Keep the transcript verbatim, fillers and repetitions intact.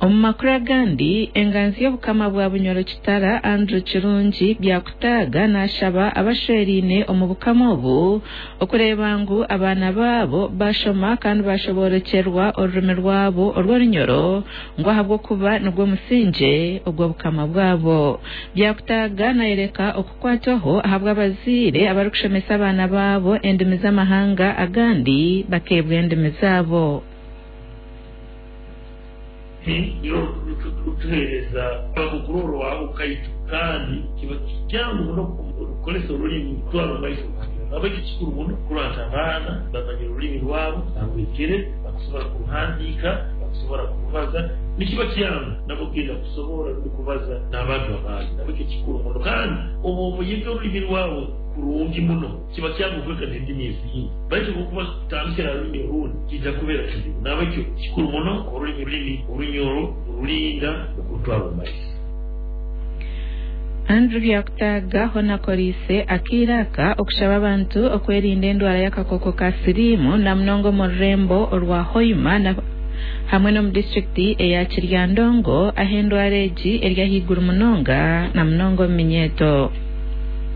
Omu makuru agandi, enganzi y'obukama bwa Bunyoro Kitara, Andrew Kirungi Byakutaaga, nashaba abashweriine omu bukama obu okureeba ngu abaana baabo bashoma kandi bashoborokyerwa orurimi rwabo orw'orunyoro, ngu ahabw'okuba nigwo musingye ogw'obukama bwabo. Byakutaaga nayereka okukwatwaho ahabw'abazaire abarikushomesa abaana baabo endimi z'amahanga agandi bakeebwa endimi zaabo. Niro rutuheereza abakukuroro wabo kaitu, kandi kiba kyangu muno kukozesa orulimi kutwara omu maiso. Nabwekyo kikuru muno kurora nti abaana bamanyire orulimi rwabo barwegere, bakusobora kuruhandiika, bakusobora kurubaza. Nikiba kyangu nabo kugenda kusobora rundi kubaza n'abantu abandi. Nabwekyo kikuru muno, kandi obu obuyiga orulimi rwawe kurungi muno, kiba kyangu kwega n'endimi ezindi, baitu obukuba kutandikira ha rulimi orundi kijja kubeera kizibu. Nabwekyo kikuru muno orulimi rulimi orunyoro orulinda okurutwara omu maiso. Andrew Byakutaaga hoona akoriise akaire aka okushaba abantu okwerinda endwara y'akakooko ka siriimu, na munonga omu rurembo orwa Hoima hamwe n'omu disitulikiti eya Kiryandongo, ahu endwara egi eri ahaiguru munonga, na munonga omu minyeeto.